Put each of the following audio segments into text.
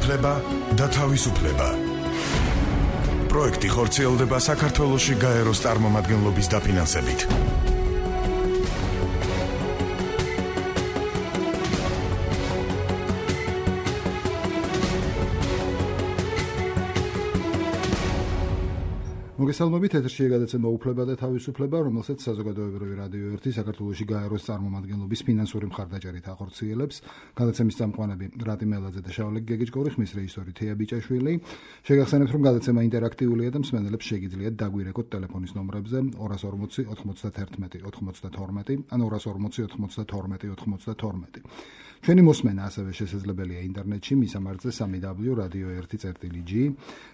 უფლება და თავისუფლება. პროექტი ხორციელდება საქართველოში გაეროს წარმომადგენლობის დაფინანსებით. მოგესალმებით, ეთერშია გადაცემა უფლება და თავისუფლება, რომელსაც საზოგადოებრივი რადიო 1 საქართველოში გაეროს წარმომადგენლობის ფინანსური მხარდაჭერით ახორციელებს. გადაცემის წამყვანები რატი მელაძე და შავლე გეგეჭკორი, ხმის რეჟისორი თეა ბიჭაშვილი. შეგახსენებთ, რომ გადაცემა ინტერაქტიულია და მსმენელებს შეგიძლიათ დაგვირეკოთ ტელეფონის ნომრებზე 240 91 92 ან 240 92 92. ჩვენი მოსმენა ასევე შესაძლებელია ინტერნეტში მისამართზე www.radio1.g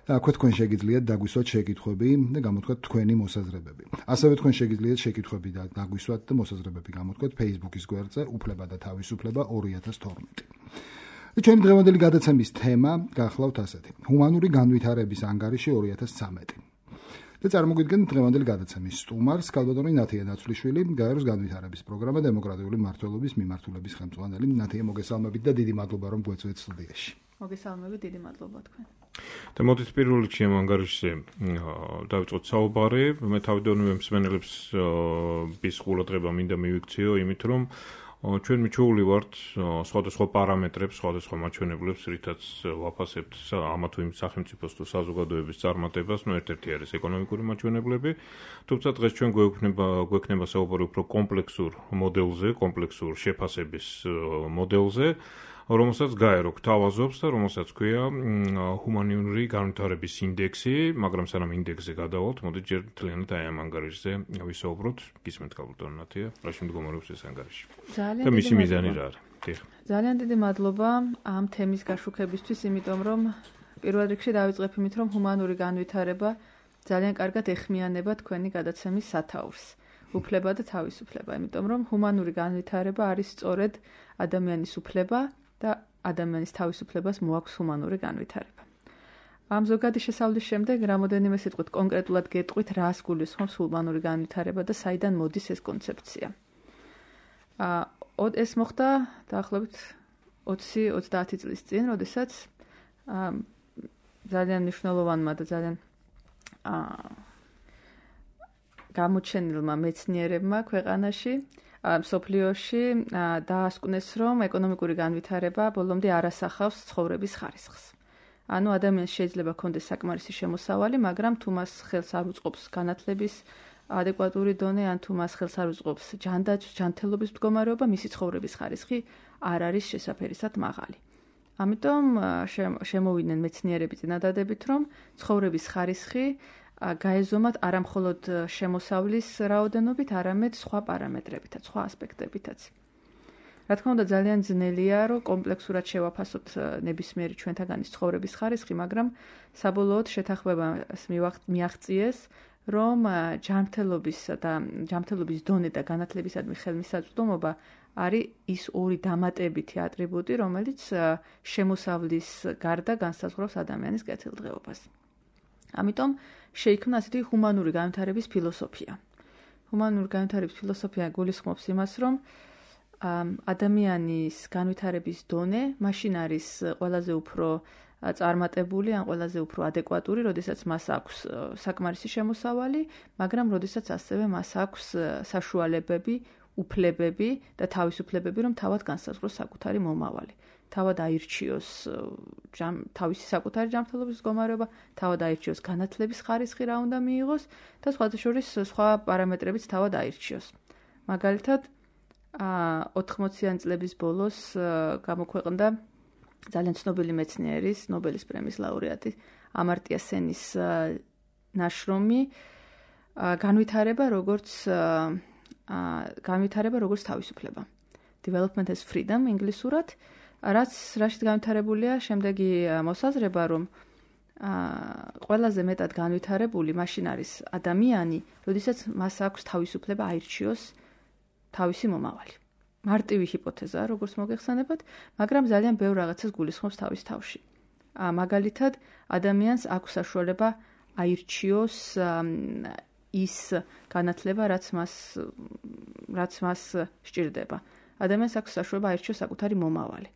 და აქვე თქვენ შეგიძლიათ დაგვისვათ შეკითხვები და გამოთქვათ თქვენი მოსაზრებები. ასევე თქვენ შეგიძლიათ შეკითხვები და დაგვისვათ და მოსაზრებები გამოთქვათ Facebook-ის გვერდზე უფლება და თავისუფლება 2012. ჩვენი დღევანდელი გადაცემის თემა გახლავთ ასეთი: ჰუმანური განვითარების ანგარიში 2013. და წარმოგვიდგენთ დღევანდელი გადაცემის სტუმარს, ქალბატონი ნათია ნაცვლიშვილი, გაეროს განვითარების პროგრამა დემოკრატიული მმართველობის მიმართულების ხელმძღვანელი. ნათია, მოგესალმებით და დიდი მადლობა, რომ გვეწვევთ სტუდიაში. მოგესალმებით, დიდი მადლობა თქვენ. და მოდით პირველ რიგში ამ ანგარიშზე დავიწყოთ საუბარი. მე თავიდანვე მსმენელებს ის ყურადღება მინდა მივიქციო, იმით რომ ჩვენ მიჩვეული ვართ სხვადასხვა პარამეტრებს, სხვადასხვა მაჩვენებლებს, რითაც ვაფასებთ ამა თუ იმ სახელმწიფოს თუ საზოგადოების წარმატებას, ერთ-ერთი არის ეკონომიკური მაჩვენებლები, თუმცა დღეს ჩვენ გვექნება საუბარი უფრო კომპლექსურ მოდელზე, კომპლექსურ შეფასების მოდელზე, რომელსაც გაერო გთავაზობს და რომელსაც ქვია ჰუმანური განვითარების ინდექსი, მაგრამ სანამ ინდექსზე გადავალთ, მოდით ჯერ მთლიანად აი ამ ანგარიშზე ვისაუბროთ. გისმენთ ქალბატონი ნათია, რაში მდგომარეობს ეს ანგარიში? და მისი მიზანი რა არის? ძალიან დიდი მადლობა ამ თემის გაშუქებისთვის, იმიტომ რომ პირველ რიგში დავიწყებ იმით, რომ ჰუმანური განვითარება ძალიან კარგად ეხმიანება თქვენი გადაცემის სათაურს. უფლება და თავისუფლება, იმიტომ რომ ჰუმანური განვითარება არის სწორედ ადამიანის უფლება და ადამიანის თავისუფლებას მოაქვს ჰუმანური განვითარება. ამ ზოგადი შესწავლის შემდეგ რამოდენიმე სიტყვით კონკრეტულად გეტყვით, რას გულისხმობს ჰუმანური განვითარება და საიდან მოდის ეს კონცეფცია. ეს მოხდა დაახლოებით 20-30 წლის წინ, როდესაც ძალიან მნიშვნელოვანმა და ძალიან გამოჩენილმა მეცნიერებმა ქვეყანაში მსოფლიოში დაასკვნეს, რომ ეკონომიკური განვითარება ბოლომდე არ ასახავს ცხოვრების ხარისხს. ანუ ადამიანს შეიძლება ჰქონდეს საკმარისი შემოსავალი, მაგრამ თუ მას ხელს არ უწყობს განათლების ადეკვატური დონე, ან თუ მას ხელს არ უწყობს ჯანმრთელობის მდგომარეობა, მისი ცხოვრების ხარისხი არ არის შესაფერისად მაღალი. ამიტომ შემოვიდნენ მეცნიერები წინადადებით, რომ ცხოვრების ხარისხი გაეზომათ არა მხოლოდ შემოსავლის რაოდენობით, არამედ სხვა პარამეტრებითაც, სხვა ასპექტებითაც. რა თქმა უნდა, ძალიან ძნელია, რომ კომპლექსურად შევაფასოთ ნებისმიერი ჩვენთაგანის ცხოვრების ხარისხი, მაგრამ საბოლოოდ შეთანხმებას მიაღწიეს, რომ ჯანმრთელობის დონე და განათლებისადმი ხელმისაწვდომობა არის ის ორი დამატებითი ატრიბუტი, რომელიც შემოსავლის გარდა განსაზღვრავს ადამიანის კეთილდღეობას. ამიტომ შეიქმნა ასეთი ჰუმანური განვითარების ფილოსოფია. ჰუმანური განვითარების ფილოსოფია გულისხმობს იმას, რომ ადამიანის განვითარების დონე მაშინ არის ყველაზე უფრო წარმატებული ან ყველაზე უფრო ადეკვატური, როდესაც მას აქვს საკმარისი შემოსავალი, მაგრამ როდესაც ასევე მას აქვს საშუალებები, უფლებები და თავისუფლებები, რომ თავად განსაზღვროს საკუთარი მომავალი. თავად აირჩიოს თავისი საკუთარი ჯანმრთელობის მდგომარეობა, თავად აირჩიოს განათლების ხარისხი რა უნდა მიიღოს და სხვათა შორის სხვა პარამეტრებიც თავად აირჩიოს. მაგალითად, 80-იანი წლების ბოლოს გამოქვეყნდა ძალიან ცნობილი მეცნიერის, ნობელის პრემიის ლაურეატი ამარტია სენის ნაშრომი განვითარება როგორც თავისუფლება. Development as freedom ინგლისურად, რაშიც განვითარებულია შემდეგი მოსაზრება, რომ ყველაზე მეტად განვითარებული მაშინ არის ადამიანი, როდესაც მას აქვს თავისუფლება აირჩიოს თავისი მომავალი. მარტივი ჰიპოთეზაა, როგორც მოგეხსენებათ, მაგრამ ძალიან ბევრ რაღაცას გულისხმობს თავის თავში. მაგალითად, ადამიანს აქვს საშუალება აირჩიოს ის განათლება, რაც მას სჭირდება. ადამიანს აქვს საშუალება აირჩიოს საკუთარი მომავალი.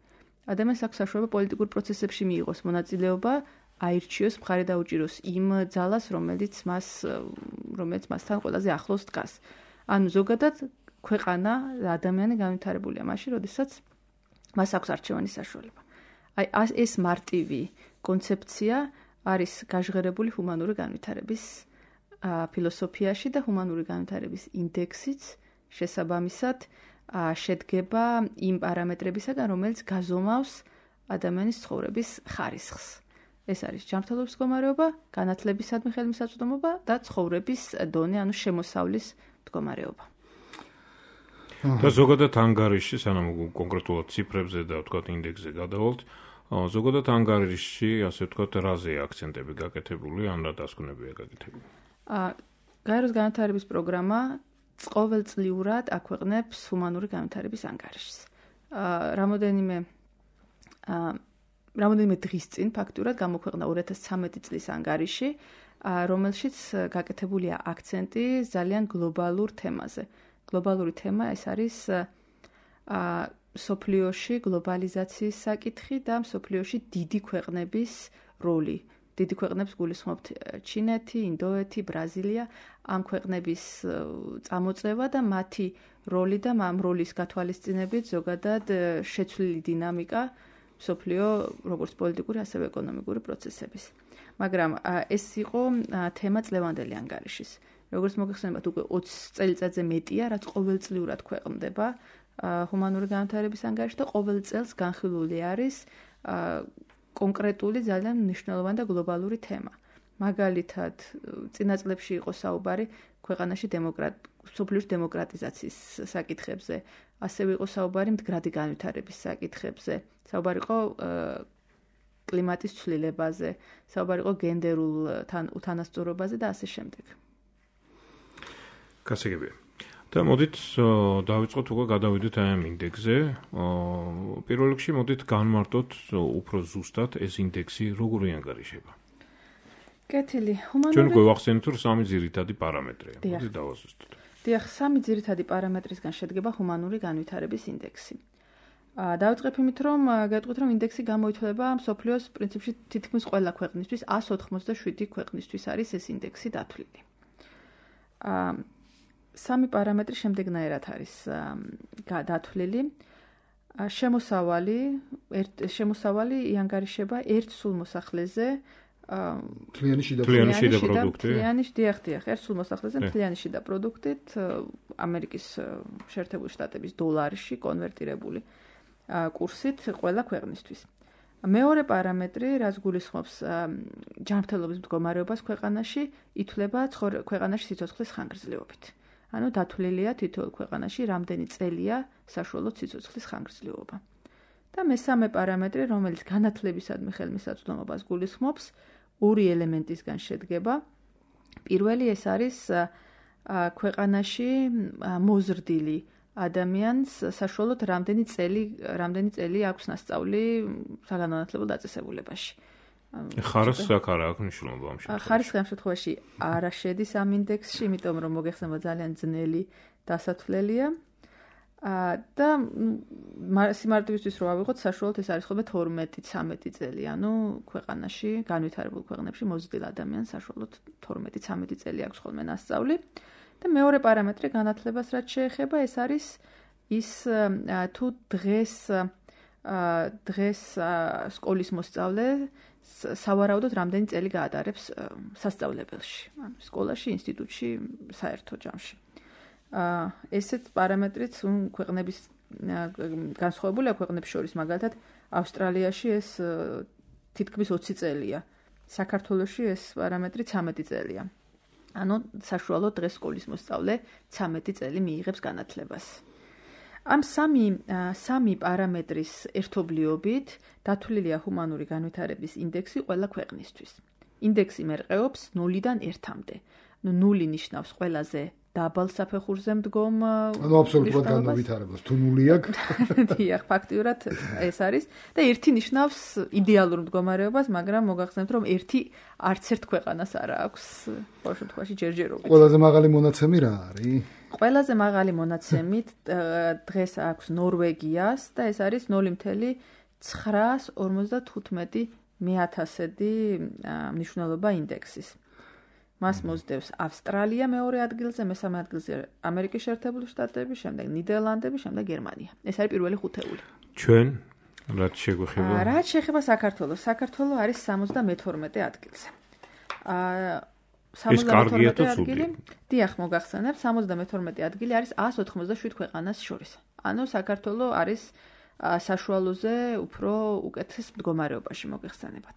ადამიანს აქვს საშუალება პოლიტიკურ პროცესებში მიიღოს მონაწილეობა, აირჩიოს, მხარი დაუჭიროს იმ ძალას, რომელიც მასთან ყველაზე ახლოს დგას. ანუ ზოგადად ქვეყანა და ადამიანი განვითარებულია მაშინ, როდესაც მას აქვს არჩევანის საშუალება. აი ეს მარტივი კონცეფცია არის გაჟღერებული ჰუმანური განვითარების ფილოსოფიაში და ჰუმანური განვითარების ინდექსიც შესაბამისად შედგება იმ პარამეტრებისაგან, რომელიც გაზომავს ადამიანის ცხოვრების ხარისხს. ეს არის ჯანმრთელობის მდგომარეობა, განათლებისადმი ხელმისაწვდომობა და ცხოვრების დონე, ანუ შემოსავლის მდგომარეობა. და ზოგადად ანგარიში, სანამ კონკრეტულად ციფრებზე და ვთქვათ ინდექსზე გადავალთ, ზოგადად ანგარიში, ასე ვთქვათ, რაზეა აქცენტები გაკეთებული, ან რა დასკვნებია გაკეთებული? გაეროს განვითარების პროგრამა ყოველწლიურად აქვეყნებს ჰუმანური განვითარების ანგარიშს. რამოდენიმე დღის წინ ფაქტურად გამოქვეყნა 2013 წლის ანგარიში, რომელშიც გაკეთებულია აქცენტი ძალიან გლობალურ თემაზე. გლობალური თემა ეს არის მსოფლიოში გლობალიზაციის საკითხი და მსოფლიოში დიდი ქვეყნების როლი. დიდი ქვეყნებს გულისხმობთ ჩინეთი, ინდოეთი, ბრაზილია, ამ ქვეყნების წამოწევა და მათი როლი და ამ როლის გათვალისწინებით ზოგადად შეცვლილი დინამიკა მსოფლიო როგორც პოლიტიკური, ასევე ეკონომიკური პროცესების. მაგრამ ეს იყო თემა წლევანდელი ანგარიშის. როგორც მოგეხსენებათ, უკვე 20 წელიწადზე მეტია, რაც ყოველწლიურად ქვეყნდება ჰუმანური განვითარების ანგარიში და ყოველ წელს განხილული არის კონკრეტული ძალიან მნიშვნელოვანი და გლობალური თემა. მაგალითად, წინა წლებში იყო საუბარი ქვეყანაში მსოფლიოში დემოკრატიზაციის საკითხებზე, ასევე იყო საუბარი მდგრადი განვითარების საკითხებზე, საუბარი იყო კლიმატის ცვლილებაზე, საუბარი იყო გენდერულ უთანასწორობაზე და ასე შემდეგ. გასაგებია. და მოდით დავიწყოთ უკვე გადავიდეთ აი ამ ინდექსზე. პირველ რიგში მოდით განმარტოთ უფრო ზუსტად ეს ინდექსი როგორი ანგარიშება. კეთილი, ჩვენ გვახსენეთ რომ სამი ძირითადი პარამეტრია. მოდით დავაზუსტოთ. დიახ, სამი ძირითადი პარამეტრისგან შედგება ჰუმანური განვითარების ინდექსი. დავიწყებ იმით, რომ გეტყვით, რომ ინდექსი გამოითვლება მსოფლიოს პრინციპში თითქმის ყველა ქვეყნისთვის, 187 ქვეყნისთვის არის ეს ინდექსი დათვლილი. სამი პარამეტრი შემდეგნაირად არის დათვლილი. შემოსავალი იანგარიშება ერთ სულ მოსახლეზე მთლიანი შიდა პროდუქტი. დიახ, ერთ სულ მოსახლეზე მთლიანი შიდა პროდუქტით ამერიკის შეერთებული შტატების დოლარში კონვერტირებული კურსით ყველა ქვეყნისთვის. მეორე პარამეტრი, რაც გულისხმობს ჯანმრთელობის მდგომარეობას ქვეყანაში, ითვლება ქვეყანაში სიცოცხლის ხანგრძლივობით. ანუ დათვლილია თითოეულ ქვეყანაში რამდენი წელია საშუალო სიცოცხლის ხანგრძლივობა. და მესამე პარამეტრი, რომელიც განათლებისადმი ხელმისაწვდომობას გულისხმობს, ორი ელემენტისგან შედგება. პირველი ეს არის ქვეყანაში მოზრდილი ადამიანს საშუალოდ რამდენი წელი აქვს насწავლი საგანმანათლებლო დაწესებულებაში. ხარისხი აქ არა აქვს მნიშვნელობა ამ შემთხვევაში. ხარისხი ამ შემთხვევაში არა შედის ამ ინდექსში, იმიტომ რომ მოგეხსენება ძალიან ძნელი დასათვლელია. და სიმარტივისთვის რო ავიღოთ, საშუალოდ ეს არის ხოლმე 12-13 წელი, ანუ ქვეყანაში, განვითარებულ ქვეყნებში მოზრდილ ადამიანს საშუალოდ 12-13 წელი აქვს ხოლმე насწავლი. და მეორე პარამეტრი განათლებას რაც შეეხება, ეს არის ის თუ დღეს სკოლის მოსწავლე სავარაუდოდ რამდენი წელი გაატარებს სასწავლებელში, ანუ სკოლაში, ინსტიტუტში, საერთო ჯამში. ესეც პარამეტრიც ქვეყნების განსხვავებულია ქვეყნებს შორის, მაგალითად ავსტრალიაში ეს თითქმის 20 წელია, საქართველოში ეს პარამეტრი 13 წელია. ანუ საშუალოდ დღეს სკოლის მოსწავლე 13 წელი მიიღებს განათლებას. ამ სამი პარამეტრის ერთობლიობით დათვლილია ჰუმანური განვითარების ინდექსი ყველა ქვეყნისთვის. ინდექსი მერყეობს 0-დან 1-მდე. 0 ნიშნავს ყველაზე დაბალ საფეხურზე მდგომ აბსოლუტურად განვითარებას. თუ 0 აქვს, დიახ, ფაქტიურად ეს არის და 1 ნიშნავს იდეალურ მდგომარეობას, მაგრამ მოგახსენებთ, რომ 1 არც ერთ ქვეყანას არ აქვს ყოველ შემთხვევაში ჯერჯერობით. ყველაზე მაღალი მონაცემი რა არის? ყველაზე მაღალი მონაცემით დღეს აქვს ნორვეგიას და ეს არის 0.7 955 მე-1000-დი მნიშვნელობა ინდექსის. მას მოსდევს ავსტრალია მეორე ადგილზე, მესამე ადგილზე ამერიკის შეერთებული შტატები, შემდეგ ნიდერლანდები, შემდეგ გერმანია. ეს არის პირველი ხუთეული. ჩვენ რაც შეგვეხება? რაც შეეხება საქართველოს. საქართველოს არის 72 ადგილზე. 72 ადგილი. დიახ, მოგახსენებ, 72 ადგილი არის 187 ქვეყანას შორის. ანუ საქართველოს არის საშუალოზე უფრო უკეთეს მდგომარეობაში მოგეხსენებათ.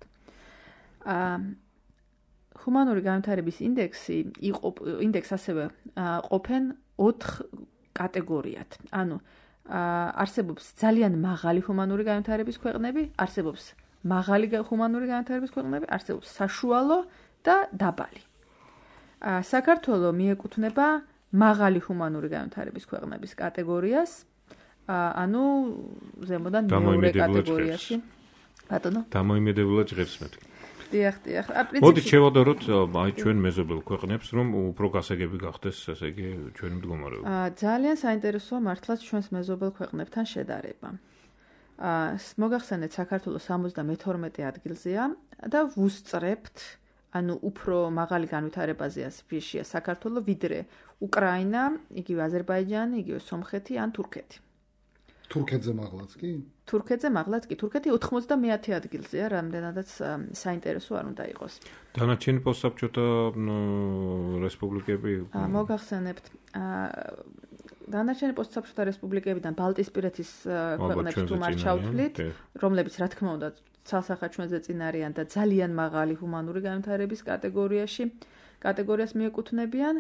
ჰუმანური განვითარების ინდექსს ასევე ყოფენ 4 კატეგორიად. ანუ არსებობს ძალიან მაღალი ჰუმანური განვითარების ქვეყნები, არსებობს მაღალი ჰუმანური განვითარების ქვეყნები, არსებობს საშუალო და დაბალი. საქართველოს მიეკუთვნება მაღალი ჰუმანური განვითარების ქვეყნების კატეგორიას, ანუ ზემოდან მეორე კატეგორიაში. ბატონო? დამოიმედებულად ჟღერს მეთქი. დიახ. მოდი შევადაროთ აი ჩვენ მეზობელ ქვეყნებს, რომ უფრო გასაგები გახდეს, ესე იგი, ჩვენი მდგომარეობა. ძალიან საინტერესოა მართლაც ჩვენს მეზობელ ქვეყნებთან შედარება. მოგახსენეთ, საქართველოს 72 ადგილზეა და ვუსწრებთ, ანუ უფრო მაღალი განვითარებაზეა სპეცია საქართველოს, ვიდრე უკრაინა, იგივე აზერბაიჯანი, იგივე სომხეთი ან თურქეთი. თურქეთზე მაღლაც კი? თურქეთი 90 ადგილზეა, რამდენადაც საინტერესო არ უნდა იყოს. დანარჩენი პოსტსაბჭოთა რესპუბლიკები მოგახსენებთ, დანარჩენი პოსტსაბჭოთა რესპუბლიკებიდან ბალტიისპირეთის ქვეყნებს თუ მათ ჩავთვლით, რომლებიც რა თქმა უნდა ცალსახად ჩვენზე წინ არიან და ძალიან მაღალი ჰუმანური განვითარების კატეგორიას მიეკუთვნებიან.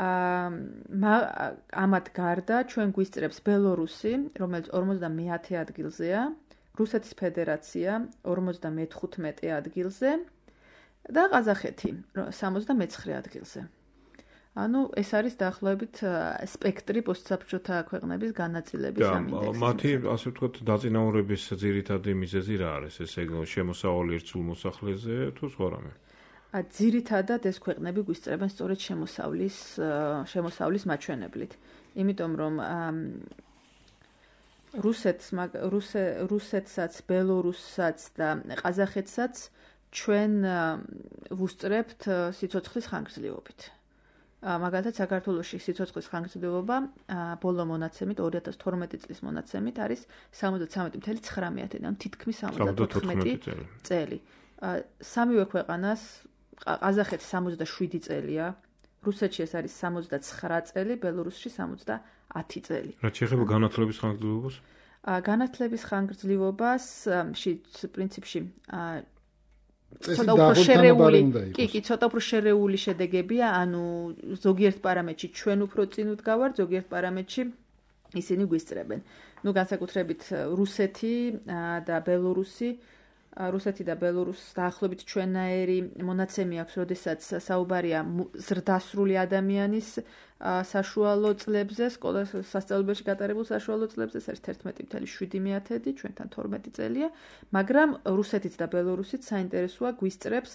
ამათ გარდა ჩვენ გვისწრებს ბელორუსი, რომელიც 50 ადგილზეა, რუსეთის ფედერაცია 55 ადგილზე და ყაზახეთი 69 ადგილზე. ანუ ეს არის დაახლოებით სპექტრი პოსტსაბჭოთა ქვეყნების განაწილების ამ ინდექსში. მათი, ასე ვთქვათ, დაწინაურების ძირითადი მიზეზი რა არის? ესე შემოსავალი ერთსულ მოსახლეზე თუ სხვა რამე? ძირითადად ეს ქვეყნები გვისწრებენ სწორედ შემოსავლის მაჩვენებლით. იმიტომ რომ რუსეთსაც, ბელორუსსაც და ყაზახეთსაც ჩვენ ვუსწრებთ სიცოცხლის ხანგრძლივობით. მაგალითად საქართველოში სიცოცხლის ხანგრძლივობა ბოლო მონაცემით 2012 წლის მონაცემით არის 73.9, ანუ თითქმის 74 წელი. სამივე ქვეყანას ყაზახეთს 67 წელია, რუსეთში ეს არის 69 წელი, ბელორუსში 70 წელი. რაც შეეხება განათლების ხანგრძლივობას? განათლების ხანგრძლივობას პრინციპში ცოტა უფრო შერეული შედეგებია, ანუ ზოგიერთ პარამეტრში ჩვენ უფრო წინ ვდგავართ, ზოგიერთ პარამეტრში ისინი გვისწრებენ. განსაკუთრებით რუსეთი და ბელორუსი დაახლოებით ჩვენაერი მონაცემი აქვს, როდესაც საუბარია ზრდასრული ადამიანის საშუალო წლებზე, სკოლას სასწავლებელში გატარებულ საშუალო წლებზე, ეს არის 11.7, ჩვენთან 12 წელია, მაგრამ რუსეთიც და ბელორუსიც საინტერესოა გვისწრებს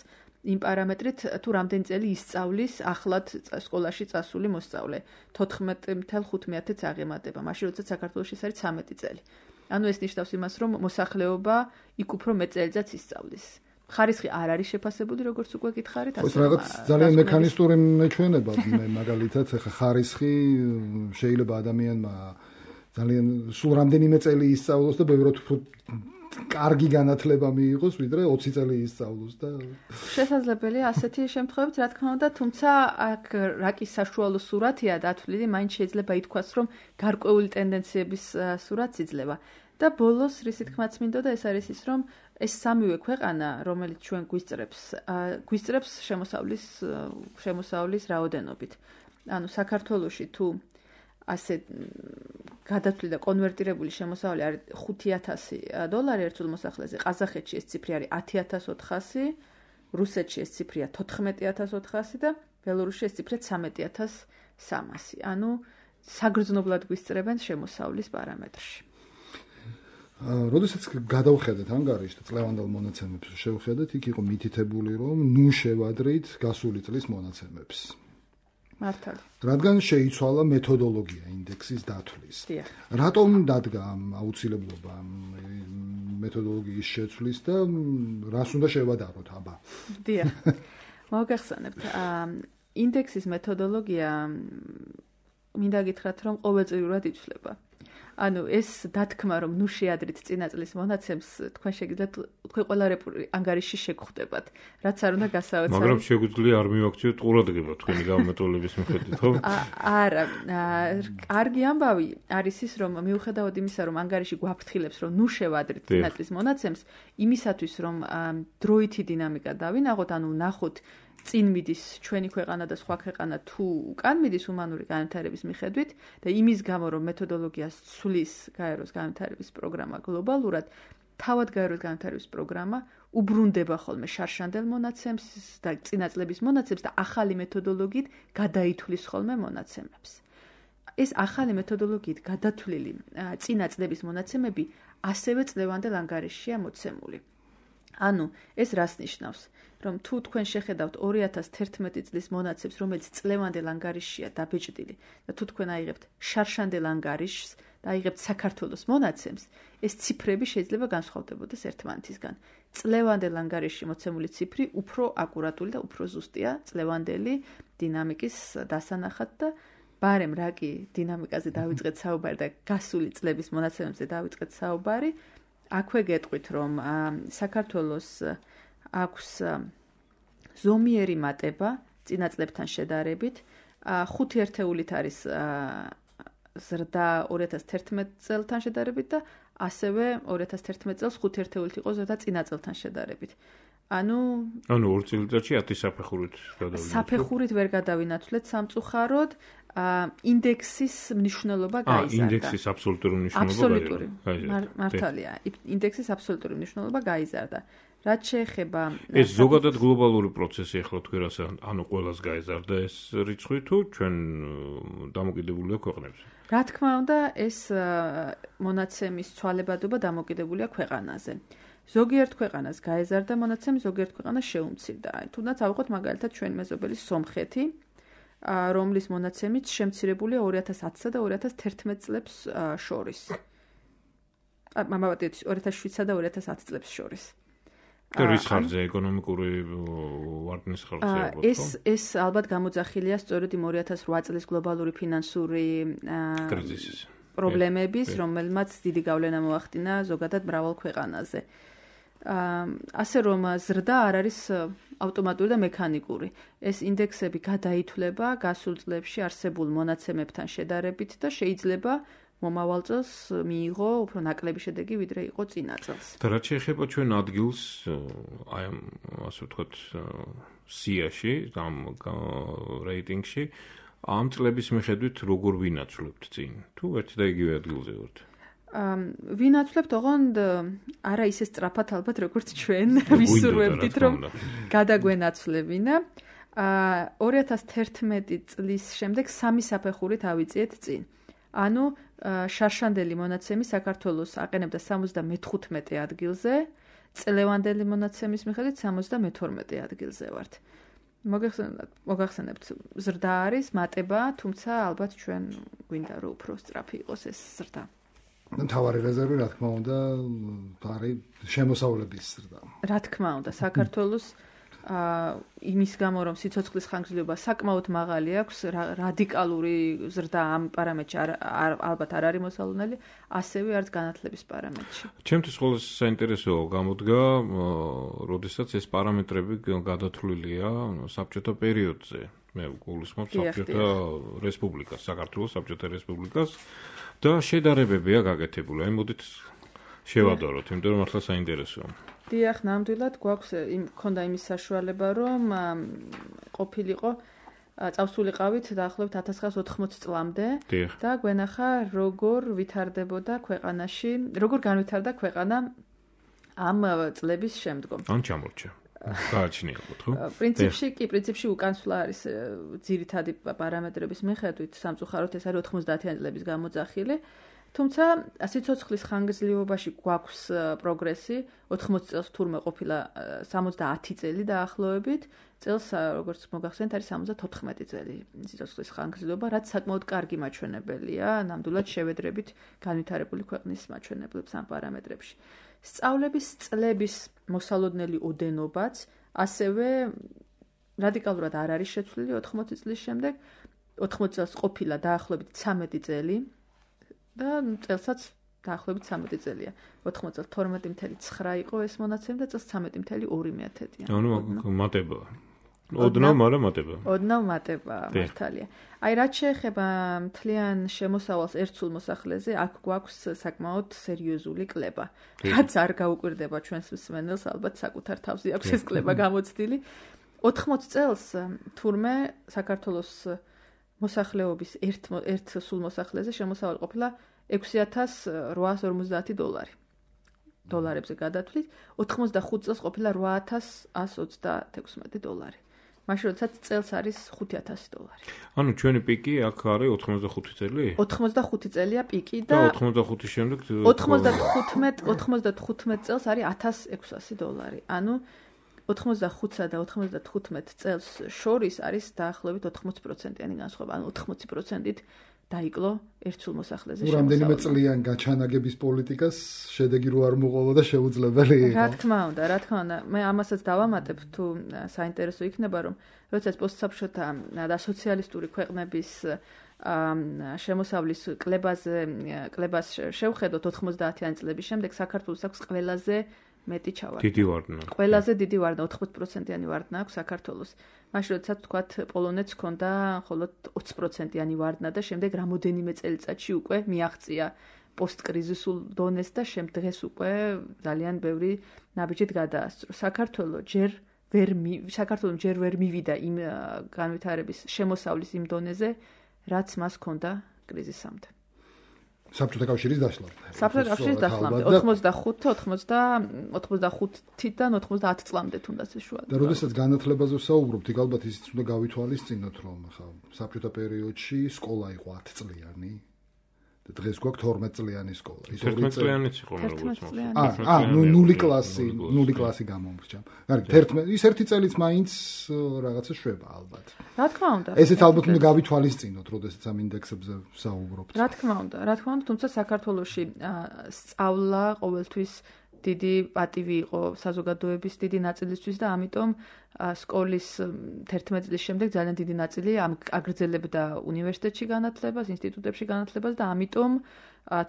იმ პარამეტრით, თუ რამდენი წელი ისწავლის ახლად სკოლაში წასული მოსწავლე. 14.5-ს აღემატება, მაშინ როდესაც საქართველოში ეს არის 13 წელი. ანუ ეს ნიშნავს იმას, რომ მოსახლეობა იქ უფრო მეტ წელიწადს ისწავლის. ხარისხი არ არის შეფასებული, როგორც უკვე გითხარით, ასე რაღაც ძალიან მექანისტური მეჩვენება, მაგალითად, ხა ხარისხი შეიძლება ადამიანმა ძალიან სულ რამდენიმე წელი ისწავლოს და ბევრად უფრო კარგი განათლება მიიღოს, ვიდრე 20 წელი ისწავლოს და შესაძლებელია ასეთი შემთხვევებიც, რა თქმა უნდა, თუმცა აქ რაკის საშუალო სურათია დათვლილი, მაინც შეიძლება ითქვას, რომ გარკვეული ტენდენციების სურათს იძლევა. და ბოლოს რისი თქმაც მინდოდა, ეს არის ის, რომ ეს სამივე ქვეყანა, რომელიც ჩვენ გვისწრებს შემოსავლის რაოდენობით. ანუ საქართველოში თუ ასე გადათვლილი და კონვერტირებული შემოსავალი არის $5,000 ერთსულ მოსახლეზე, ყაზახეთში ეს ციფრი არის 10,400, რუსეთში ეს ციფრია 14,400 და ბელორუსში ეს ციფრია 13,300. ანუ საგრძნობლად გვისწრებენ შემოსავლის პარამეტრში. როდესაც გადავხედეთ ანგარიშს და წლევანდელ მონაცემებს შევხედეთ, იქ იყო მითითებული, რომ ნუ შევადრით გასული წლის მონაცემებს. მართალი. რადგან შეიცვალა მეთოდოლოგია ინდექსის დათვლის. რატომ დადგა აუცილებლობა მეთოდოლოგიის შეცვლის და რას უნდა შევადაროთ აბა. დიახ. მოგახსენებთ, ინდექსის მეთოდოლოგია მინდა გითხრათ, რომ ყოველწლიურად იცვლება. ანუ ეს დათქმა, რომ ნუ შეადრით წინა წლის მონაცემს, თქვენ შეგიძლიათ თქვენ ყველა ანგარიში შეგხვდებათ, რაც არ უნდა გასაოცარი. მაგრამ შეგვიძლია არ მივაქციოთ ყურადღება თქვენი გამომეტოლების მიხედვით, ხო? არა, კარგი ამბავი არის ის, რომ მიუხედავად იმისა, რომ ანგარიში გვაფრთხილებს, რომ ნუ შევადრით წინა წლის მონაცემს, იმისათვის, რომ დროითი დინამიკა დავინახოთ, ანუ ნახოთ წინ მიდის ჩვენი ქვეყანა და სხვა ქვეყანა თუ უკან მიდის უმანური განვითარების მიხედვით და იმის გამო რომ მეთოდოლოგიას ცვლის გაეროს განვითარების პროგრამა გლობალურად, თავად გაეროს განვითარების პროგრამა უბრუნდება ხოლმე შარშანდელ მონაცემს და წინა წლების მონაცემს და ახალი მეთოდოლოგიით გადაითვლის ხოლმე მონაცემებს. ეს ახალი მეთოდოლოგიით გადათვლილი წინა წლების მონაცემები ასევე წლევანდელ ანგარიშშია მოცემული. ანუ ეს რას ნიშნავს? რომ თუ თქვენ შეხედავთ 2011 წლის მონაცემს, რომელიც წლევანდელ ანგარიშშია დაბეჭდილი და თუ თქვენ აიღებთ შარშანდელ ანგარიშს და აიღებთ საქართველოს მონაცემს, ეს ციფრები შეიძლება განსხვავდებოდეს ერთმანეთისგან. წლევანდელ ანგარიშში მოცემული ციფრი უფრო აკურატული და უფრო ზუსტია წლევანდელი დინამიკის დასანახად და ბარემ რა კი დინამიკაზე დავიწყეთ საუბარი და გასული წლების მონაცემებზე დავიწყეთ საუბარი, აქვე გეტყვით, რომ საქართველოს აქვს ზომიერი მატება წინა წლებთან შედარებით, 5 ერთეულით არის ზრდა 2011 წელთან შედარებით და ასევე 2011 წელს 5 ერთეულით იყო ზრდა წინა წელთან შედარებით. ანუ 2 წელიწადში 10 საფეხურით გადავინაცვლეთ. საფეხურით ვერ გადავინაცვლეთ სამწუხაროდ, ინდექსის მნიშვნელობა გაიზარდა. ინდექსის აბსოლუტური მნიშვნელობა აბსოლუტური. მართალია. ინდექსის აბსოლუტური მნიშვნელობა გაიზარდა. რაც შეეხება ეს ზოგადად გლობალური პროცესი ახლა თქვენ რას ანუ ყველას გაიზარდა ეს რიცხვი თუ ჩვენ დამოკიდებულია ქვეყნებზე? რა თქმა უნდა, ეს მონაცემის ცვალებადობა დამოკიდებულია ქვეყანაზე. ზოგიერთ ქვეყანას გაეზარდა მონაცემი, ზოგიერთ ქვეყანას შეუმცირდა. თუნდაც ავიღოთ მაგალითად ჩვენი მეზობელი სომხეთი, რომლის მონაცემიც შემცირებულია 2010-სა და 2011 წლებს შორის. 2007-სა და 2010 წლებს შორის. რის ხარჯზე ეკონომიკური ვარდნის ხარჯზე ალბათ, ხო? ეს ალბათ გამოძახილია სწორედ იმ 2008 წლის გლობალური ფინანსური კრიზისის პრობლემების, რომელმაც დიდი გავლენა მოახდინა ზოგადად მრავალ ქვეყანაზე. ასე რომ ზრდა არ არის ავტომატური და მექანიკური. ეს ინდექსები გადაითვლება გასულ წლებში არსებულ მონაცემებთან შედარებით და შეიძლება მომავალ წელს მიიღო უფრო ნაკლები შედეგი, ვიდრე იყო წინა წელს. და რაც შეეხება ჩვენ ადგილს, აი ამ ასე ვთქვათ, სიაში, ამ რეიტინგში, ამ წლების მიხედვით როგორ ვინაცვლებთ წინ? თუ ერთ და იგივე ადგილზე ვართ? ვინაცვლებთ ოღონდ არა ისე სწრაფად ალბათ, როგორც ჩვენ ვისურვებდით, რომ გადაგვენაცვლებინა. 2011 წლის შემდეგ 3 საფეხურით ავიწიეთ წინ. ანუ შარშანდელი მონაცემი საქართველოს აყენებდა 75 ადგილზე, წლევანდელი მონაცემის მიხედვით 72 ადგილზე ვართ. მოგახსენებთ, ზრდა არის, მატება, თუმცა ალბათ ჩვენ გვინდა რომ უფრო სწრაფი იყოს ეს ზრდა. მთავარი რეზერვი, რა თქმა უნდა, არის შემოსავლების ზრდა. რა თქმა უნდა, საქართველოს იმის გამო, რომ სიცოცხლის ხანგრძლივობა საკმაოდ მაღალი აქვს, რადიკალური ზრდა ამ პარამეტრში ალბათ არ არის მოსალოდნელი, ასევე არც განათლების პარამეტრში. ჩემთვის ყველაზე საინტერესო გამოდგა, როდესაც ეს პარამეტრები გადათვლილია საბჭოთა პერიოდზე. მე გულისხმობ საბჭოთა რესპუბლიკას, საქართველოს საბჭოთა რესპუბლიკას და შედარებებია გაკეთებული. აი მოდით შევადაროთ, იმიტომ რომ ახლა საინტერესოა. დიახ, ნამდვილად გვაქვს მქონდა იმის საშუალება, რომ ყოფილიყო წავსულიყავით დაახლოებით 1980 წლამდე და გვენახა როგორ ვითარდებოდა ქვეყანაში, როგორ განვითარდა ქვეყანა ამ წლების შემდგომ. ან ჩამორჩა. გააჩნია ალბათ, ხო? პრინციპში უკანსვლა არის ძირითადი პარამეტრების მიხედვით, სამწუხაროდ ეს არის 90-იანი წლების გამოძახილი. თუმცა სიცოცხლის ხანგრძლივობაში გვაქვს პროგრესი, 80 წელს თურმე ყოფილა 70 წელი დაახლოებით, წელს როგორც მოგახსენეთ არის 74 წელი სიცოცხლის ხანგრძლივობა, რაც საკმაოდ კარგი მაჩვენებელია, ნამდვილად შევედრებით განვითარებული ქვეყნის მაჩვენებლებს ამ პარამეტრებში. სწავლების წლების მოსალოდნელი ოდენობაც ასევე რადიკალურად არ არის შეცვლილი 80 წლის შემდეგ. 80 წელს ყოფილა დაახლოებით 13 წელი და წელსაც დაახლოებით 13 წელია. 80 წელს 12.9 იყო ეს მონაცემი და წელს 13.2-ია. ანუ მატება. ოდნავ, მაგრამ მატება. ოდნავ მატება, მართალია. აი რაც შეეხება მთლიან შემოსავალს ერთსულ მოსახლეზე, აქ გვაქვს საკმაოდ სერიოზული კლება. რაც არ გაუკვირდება ჩვენს მსმენელს, ალბათ საკუთარ თავზე აქვს ეს კლება გამოცდილი. 80 წელს თურმე საქართველოს მოსახლეობის ერთ სულ მოსახლეზე შემოსავალი ყოფილა $6,850 დოლარებზე გადათვლით, 85 წელს ყოფილა $8,126. მაშინ როდესაც წელს არის $5,000. ანუ ჩვენი პიკი აქ არის 85 წელი? 85 წელია პიკი და 85 შემდეგ 95 წელს არის $1,600. ანუ 85-სა და 95 წელს შორის არის დაახლოებით 80%-იანი განსხვავება, ანუ 80%-ით დაიკლო ერთსულ მოსახლეზე შემოსავალი. რამდენიმე წლიან გაჩანაგების პოლიტიკას შედეგი რო არ მოყოლა და შეუძლებელი იყო. რა თქმა უნდა. მე ამასაც დავამატებ თუ საინტერესო იქნება, რომ როდესაც პოსტსაბჭოთა და სოციალისტური ქვეყნების შემოსავლის კლებას შევხედოთ 90-იანი წლების შემდეგ, საქართველოს აქვს ყველაზე მეტი ჩავარდნა. დიდი ვარდნა. ყველაზე დიდი ვარდნა 80%-იანი ვარდნა აქვს საქართველოს. მაშინ როდესაც თქვათ პოლონეთს ჰქონდა მხოლოდ 20%-იანი ვარდნა და შემდეგ რამოდენიმე წელიწადში უკვე მიაღწია პოსტკრიზისულ დონეს და დღეს უკვე ძალიან ბევრი ნაბიჯით გადაასწრო. საქართველოს ჯერ ვერ მივიდა იმ განვითარების შემოსავლის იმ დონეზე, რაც მას ჰქონდა კრიზისამდე. საბჭოთა კავშირის დაშლამდე. საბჭოთა კავშირის დაშლამდე 85-დან 90 წლამდე თუნდაც ეს შუა. და როდესაც განათლებაზე ვსაუბრობთ, იქ ალბათ ისიც უნდა გავითვალისწინოთ, რომ ხა საბჭოთა პერიოდში სკოლა იყო 10 წლიანი და დღეს გვაქვს 12 წლიანი სკოლა. ის 11 წლიანიც იყო როგორც მოხდა. ნული კლასი გამომრჩა. ის ერთი წელიც მაინც რაღაცა შვება ალბათ. რა თქმა უნდა. ესეც ალბათ უნდა გავითვალისწინოთ, როდესაც ამ ინდექსებზე ვსაუბრობთ. რა თქმა უნდა, თუმცა საქართველოში სწავლა ყოველთვის დიდი პატივი იყო საზოგადოების დიდი ნაწილისთვის და ამიტომ სკოლის 11 წლის შემდეგ ძალიან დიდი ნაწილი აგრძელებდა უნივერსიტეტში განათლებას, ინსტიტუტებში განათლებას და ამიტომ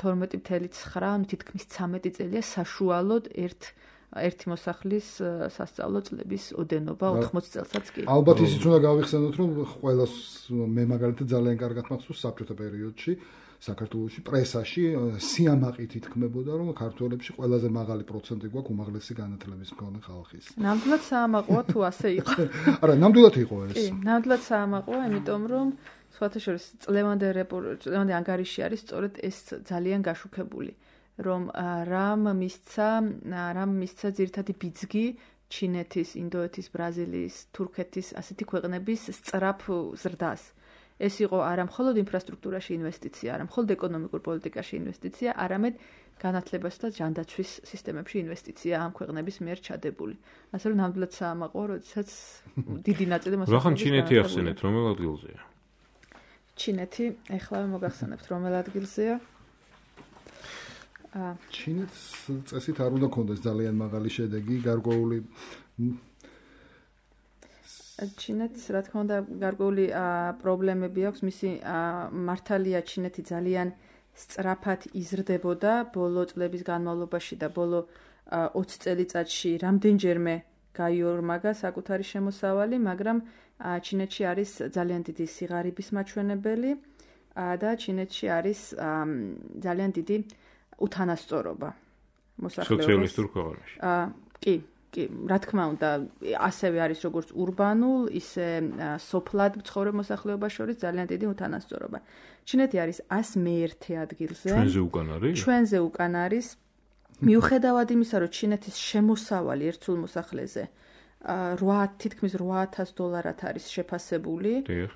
12.9, ანუ თითქმის 13 წელია საშუალოდ ერთი მოსახლის სასწავლო წლების ოდენობა 80 წელსაც კი. ალბათ ისიც უნდა გავიხსენოთ, რომ ყველას მე მაგალითად ძალიან კარგად მახსოვს საბჭოთა პერიოდში საქართველოში პრესაში სიამაყით ითქმებოდა, რომ ქართველებში ყველაზე მაღალი პროცენტი გვაქვს უმაღლესი განათლების მქონე ხალხის. ნამდვილად საამაყოა თუ ასე იყო. არა, ნამდვილად იყო ეს. კი, ნამდვილად საამაყოა, იმიტომ რომ სხვათა შორის წლევანდელ ანგარიში არის სწორედ ეს ძალიან გაშუქებული, რომ რამ მისცა ძირითადი ბიძგი ჩინეთის, ინდოეთის, ბრაზილიის, თურქეთის ასეთი ქვეყნების სწრაფ ზრდას. ეს იყო არა მხოლოდ ინფრასტრუქტურაში ინვესტიცია, არა მხოლოდ ეკონომიკურ პოლიტიკაში ინვესტიცია, არამედ განათლებასა და ჯანდაცვის სისტემებში ინვესტიცია ამ ქვეყნების მიერ ჩადებული. ასე რომ ნამდვილად საამაყოა, როდესაც დიდი ნაწილი მოსახლეობის რახან ჩინეთი ახსენეთ, რომელ ადგილზეა? ჩინეთი, ეხლავე მოგახსენებთ, რომელ ადგილზეა? ჩინეთს წესით არ უნდა ქონდეს ძალიან მაღალი შედეგი, გარკვეული ჩინეთს რა თქმა უნდა გარკვეული პრობლემები აქვს, მისი მართალია ჩინეთი ძალიან სწრაფად იზრდებოდა ბოლო წლების განმავლობაში და ბოლო 20 წელიწადში რამდენჯერმე გაიორმაგა საკუთარი შემოსავალი, მაგრამ ჩინეთში არის ძალიან დიდი სიღარიბის მაჩვენებელი და ჩინეთში არის ძალიან დიდი უთანასწორობა მოსახლეობის. სოციალისტურ ქვეყანაში. კი, რა თქმა უნდა, ასევე არის როგორც ურბანულ, ისე სოფლად მცხოვრებ მოსახლეობას შორის ძალიან დიდი უთანასწორობა. ჩინეთი არის 101 ადგილზე. ჩვენზე უკან არის. მიუხედავად იმისა, რომ ჩინეთის შემოსავალი ერთსულ მოსახლეზე თითქმის $8,000 არის შეფასებული,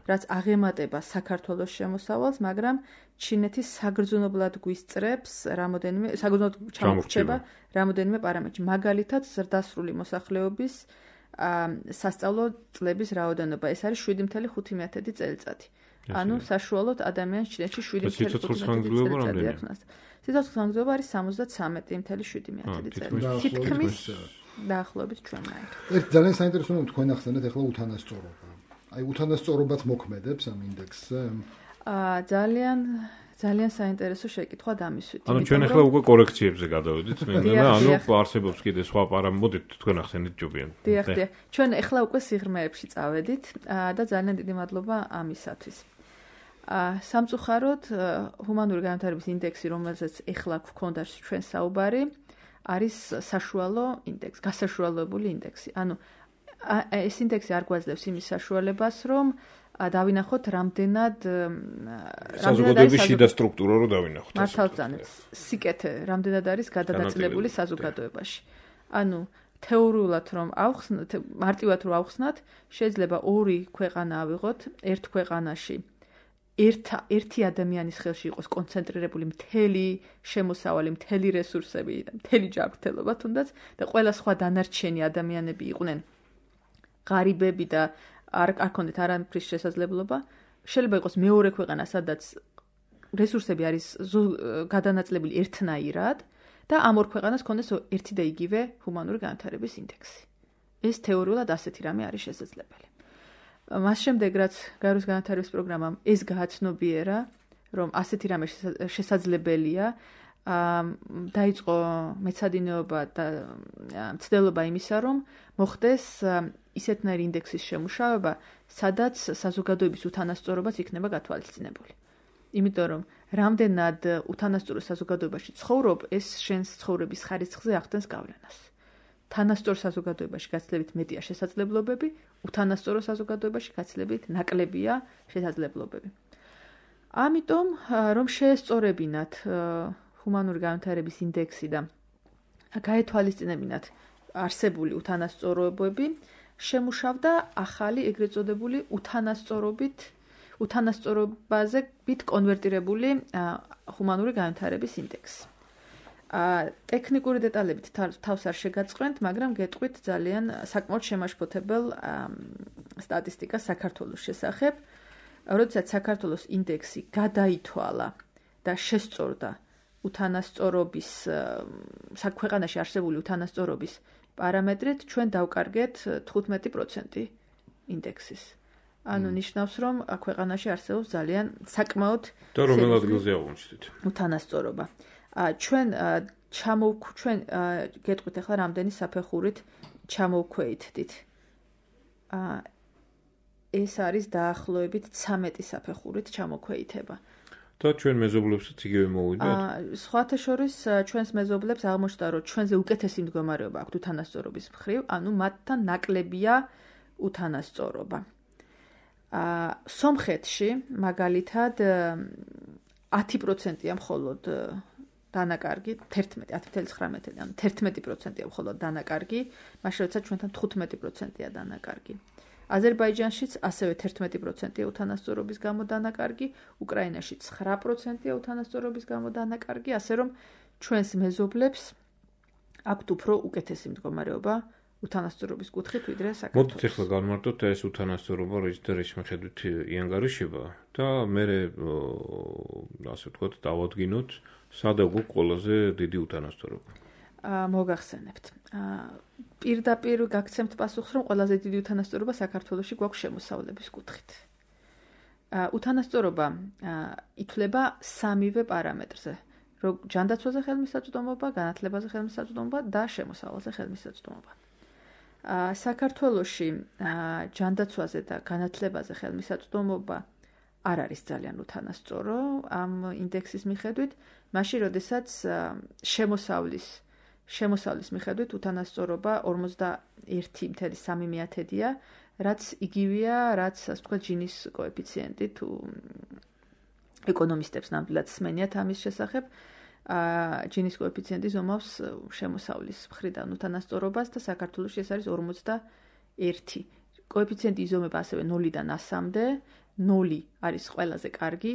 რაც აღემატება საქართველოს შემოსავალს, მაგრამ ჩინეთი საგრძნობლად გვისწრებს საგრძნობლად ჩამორჩება რამოდენიმე პარამეტრში. მაგალითად, ზრდასრული მოსახლეობის სასწავლო წლების რაოდენობა. ეს არის 7.5 წელიწადი. ანუ საშუალოდ ადამიანს ჩინეთში 7.5 წელიწადი აქვს. სიცოცხლის განმავლობა არის 73.7 წელი. თითქმის დაახლოებით ჩვენნაირ. ერთ ძალიან საინტერესო რომ თქვენ ახსენეთ ახლა უთანასწორობა. აი უთანასწორობაც მოქმედებს ამ ინდექსზე? ძალიან საინტერესო შეკითხვა დამისვით. ანუ ჩვენ ახლა უკვე კორექციებზე გადავედით, ანუ არსებობს კიდე სხვა პარამეტრები, თქვენ ახსენეთ ჯობიან. დიახ. ჩვენ ახლა უკვე სიღრმეებში წავედით და ძალიან დიდი მადლობა ამისათვის. სამწუხაროდ ჰუმანური განვითარების ინდექსი, რომელზეც ახლა გვქონდა ჩვენ საუბარი, არის საშუალო ინდექსი, გასაშუალებული ინდექსი. ანუ ეს ინდექსი არ გვაძლევს იმის საშუალებას, რომ დავინახოთ რამდენად საზოგადოების შიდა სტრუქტურა რო დავინახოთ. მართალწანაც სიკეთე რამდენად არის გადადაწილებული საზოგადოებაში. ანუ თეორიულად რომ ავხსნათ, მარტივად რომ ავხსნათ, შეიძლება ორი ქვეყანა ავიღოთ, ერთ ქვეყანაში ერთი ადამიანის ხელში იყოს კონცენტრირებული მთელი შემოსავალი, მთელი რესურსები და მთელი ჯანმრთელობა თუნდაც და ყველა სხვა დანარჩენი ადამიანები იყვნენ ღარიბები და არ ქონდეთ არაფრის შესაძლებლობა. შეიძლება იყოს მეორე ქვეყანა, სადაც რესურსები არის გადანაწილებული ერთნაირად და ამ ორ ქვეყანას ქონდეს ერთი და იგივე ჰუმანური განვითარების ინდექსი. ეს თეორიულად ასეთი რამე არის შესაძლებელი. მას შემდეგ, რაც გაეროს განვითარების პროგრამამ ეს გააცნობიერა, რომ ასეთი რამე შესაძლებელია, დაიწყო მეცადინეობა და მცდელობა იმისა, რომ მოხდეს ისეთნაირი ინდექსის შემუშავება, სადაც საზოგადოების უთანასწორობაც იქნება გათვალისწინებული. იმიტომ რომ რამდენად უთანასწორო საზოგადოებაში ცხოვრობ, ეს შენს ცხოვრების ხარისხზე ახდენს გავლენას. თანასწორ საზოგადოებაში გაცილებით მეტია შესაძლებლობები, უთანასწორო საზოგადოებაში გაცილებით ნაკლებია შესაძლებლობები. ამიტომ, რომ შეესწორებინათ ჰუმანური განვითარების ინდექსი და გაეთვალისწინებინათ არსებული უთანასწორობები, შემუშავდა ახალი ეგრეთ წოდებული უთანასწორობაზე კონვერტირებული ჰუმანური განვითარების ინდექსი. ტექნიკური დეტალებით თავს არ შეგაწყვეტთ, მაგრამ გეტყვით ძალიან საკმაოდ შემაშფოთებელ სტატისტიკას საქართველოს შესახებ. როდესაც საქართველოს ინდექსი გადაითვალა და შესწორდა უთანასწორობის ქვეყანაში არსებული უთანასწორობის პარამეტრით, ჩვენ დავკარგეთ 15% ინდექსის. ანუ ნიშნავს, რომ ქვეყანაში არსებობს ძალიან საკმაოდ და რომელ ადგილზე აღმოჩნდით უთანასწორობა. ჩვენ გეტყვით ახლა რამდენი საფეხურით ჩამოვქვეითდით. ეს არის დაახლოებით 13 საფეხურით ჩამოქვეითება. და ჩვენ მეზობლებსაც იგივე მოვიდათ? სხვათა შორის ჩვენს მეზობლებს აღმოჩნდა, რომ ჩვენზე უკეთესი მდგომარეობა აქვთ უთანასწორობის მხრივ, ანუ მათთან ნაკლებია უთანასწორობა. სომხეთში მაგალითად 10%-ია მხოლოდ დანაკარგი, 10.9, ანუ 11%-ია მხოლოდ დანაკარგი, მაშინ როცა ჩვენთან 15%-ია დანაკარგი. აზერბაიჯანშიც ასევე 11%-ია უთანასწორობის გამო დანაკარგი, უკრაინაში 9%-ია უთანასწორობის გამო დანაკარგი, ასე რომ ჩვენს მეზობლებს აქვთ უფრო უკეთესი მდგომარეობა უთანასწორობის კუთხით ვიდრე საქართველოს. მოდით ახლა განმარტოთ ეს უთანასწორობა, რის მიხედვით იანგარიშება და მე ასე ვთქვათ, დავადგინოთ, სადა გვაქვს ყველაზე დიდი უთანასწორობა. მოგახსენებთ. პირდაპირ გაგცემთ პასუხს, რომ ყველაზე დიდი უთანასწორობა საქართველოში გვაქვს შემოსავლების კუთხით. უთანასწორობა ითვლება სამივე პარამეტრზე, რომ ჯანდაცვაზე ხელმისაწვდომობა, განათლებაზე ხელმისაწვდომობა და შემოსავალზე ხელმისაწვდომობა. საქართველოში ჯანდაცვაზე და განათლებაზე ხელმისაწვდომობა არ არის ძალიან უთანასწორო ამ ინდექსის მიხედვით, მაშინ როდესაც შემოსავლის მიხედვით უთანასწორობა 41.3%-ია, რაც იგივეა, რაც ასე ვთქვათ, ჯინის კოეფიციენტი თუ ეკონომისტებს ნამდვილად სმენიათ ამის შესახებ. ჯინის კოეფიციენტი ზომავს შემოსავლის მხრიდან უთანასწორობას და საქართველოში ეს არის 41. კოეფიციენტი იზომება ასევე 0-დან 100-მდე. 0 არის ყველაზე კარგი,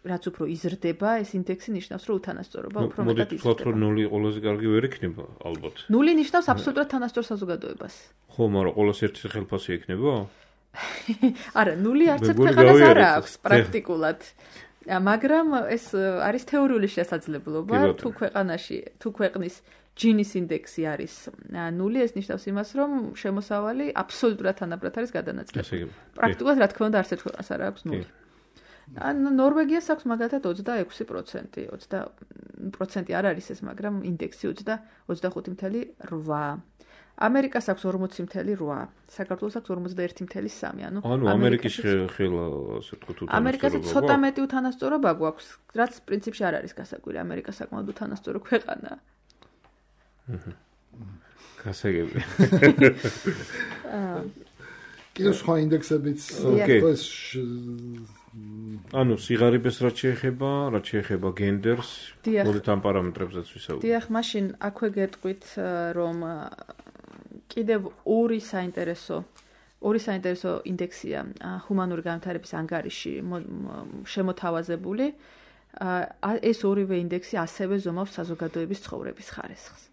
რაც უფრო იზრდება, ეს ინდექსი ნიშნავს, რომ უთანასწორობა უფრო მეტად იზრდება. მოდით ვთქვათ, რომ 0 ყველაზე კარგი ვერ იქნება, ალბათ. 0 ნიშნავს აბსოლუტურად თანასწორ საზოგადოებას. ხო, მაგრამ ყოველს ერთი ხელფასი იქნება? არა, 0 არც ერთ ქვეყანას არ აქვს პრაქტიკულად. მაგრამ ეს არის თეორიული შესაძლებლობა, თუ ქვეყნის ჯინის ინდექსი არის 0, ეს ნიშნავს იმას, რომ შემოსავალი აბსოლუტურად თანაბრად არის გადანაწილებული. პრაქტიკულად, რა თქმა უნდა, არც ერთ ქვეყანას არ აქვს 0. ნორვეგიას აქვს მაგალითად 26%. 20% არ არის ეს, მაგრამ ინდექსი 25.8. ამერიკას აქვს 40.8, საქართველოს აქვს 41.3. ანუ ამერიკის ხელა ასე ვთქვათ უთანასწორობა. ამერიკაზე ცოტა მეტი უთანასწორობა გვაქვს, რაც პრინციპში არ არის გასაკვირი. ამერიკა საკმაოდ უთანასწორო ქვეყანაა. გასაგები. კიდევ სხვა ინდექსებიც ეს ანუ სიღარიბეს რაც შეეხება გენდერს, მოდით ამ პარამეტრებზეც ვისაუბროთ. დიახ, მაშინ აქვე გეტყვით, რომ კიდევ ორი საინტერესო ინდექსია ჰუმანური განვითარების ანგარიში შემოთავაზებული. ეს ორივე ინდექსი ასევე ზომავს საზოგადოების ცხოვრების ხარისხს.